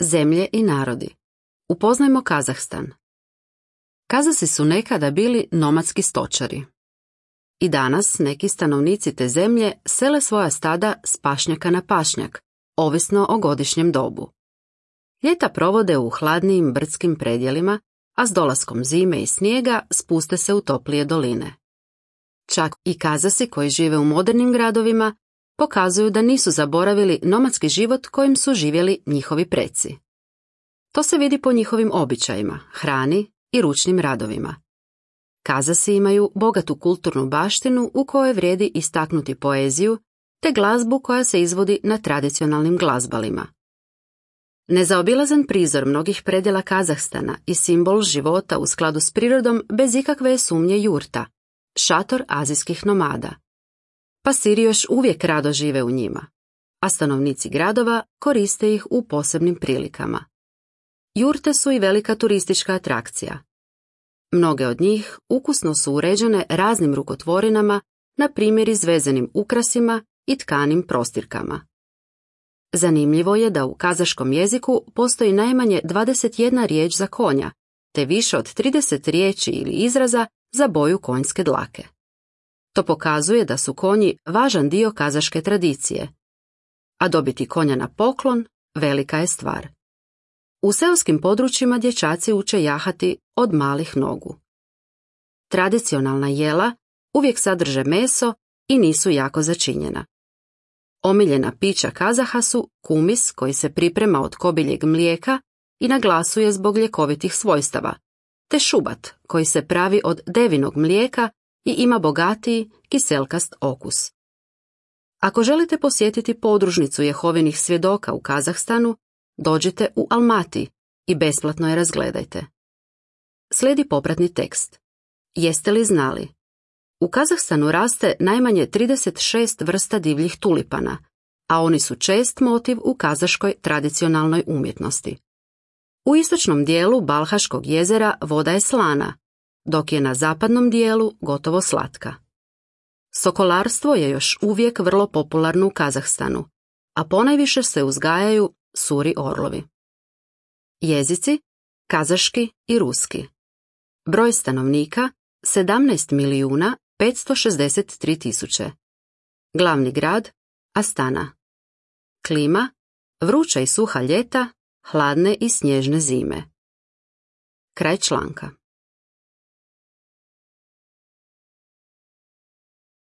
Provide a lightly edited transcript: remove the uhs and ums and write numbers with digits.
Zemlje i narodi. Upoznajmo Kazahstan. Kazasi su nekada bili nomadski stočari. I danas neki stanovnici te zemlje sele svoja stada s pašnjaka na pašnjak, ovisno o godišnjem dobu. Ljeta provode u hladnijim brdskim predjelima, a s dolaskom zime i snijega spuste se u toplije doline. Čak i Kazasi koji žive u modernim gradovima pokazuju da nisu zaboravili nomadski život kojim su živjeli njihovi preci. To se vidi po njihovim običajima, hrani i ručnim radovima. Kazasi imaju bogatu kulturnu baštinu u kojoj vrijedi istaknuti poeziju te glazbu koja se izvodi na tradicionalnim glazbalima. Nezaobilazan prizor mnogih predjela Kazahstana i simbol života u skladu s prirodom bez ikakve sumnje jurta, šator azijskih nomada. Pasiri još uvijek rado žive u njima, a stanovnici gradova koriste ih u posebnim prilikama. Jurte su i velika turistička atrakcija. Mnoge od njih ukusno su uređene raznim rukotvorinama, na primjer izvezenim ukrasima i tkanim prostirkama. Zanimljivo je da u kazaškom jeziku postoji najmanje 21 riječ za konja, te više od 30 riječi ili izraza za boju konjske dlake. To pokazuje da su konji važan dio kazaške tradicije, a dobiti konja na poklon velika je stvar. U seoskim područjima dječaci uče jahati od malih nogu. Tradicionalna jela uvijek sadrže meso i nisu jako začinjena. Omiljena pića Kazaha su kumis koji se priprema od kobiljeg mlijeka i naglasuje zbog ljekovitih svojstava, te šubat koji se pravi od devinog mlijeka i ima bogatiji kiselkast okus. Ako želite posjetiti podružnicu Jehovinih svjedoka u Kazahstanu, dođite u Almati i besplatno je razgledajte. Slijedi popratni tekst. Jeste li znali? U Kazahstanu raste najmanje 36 vrsta divljih tulipana, a oni su čest motiv u kazaškoj tradicionalnoj umjetnosti. U istočnom dijelu Balhaškog jezera voda je slana, dok je na zapadnom dijelu gotovo slatka. Sokolarstvo je još uvijek vrlo popularno u Kazahstanu, a ponajviše se uzgajaju suri orlovi. Jezici: kazaški i ruski. Broj stanovnika: 17.563.000. Glavni grad: Astana. Klima: vruća i suha ljeta, hladne i snježne zime. Kraj članka.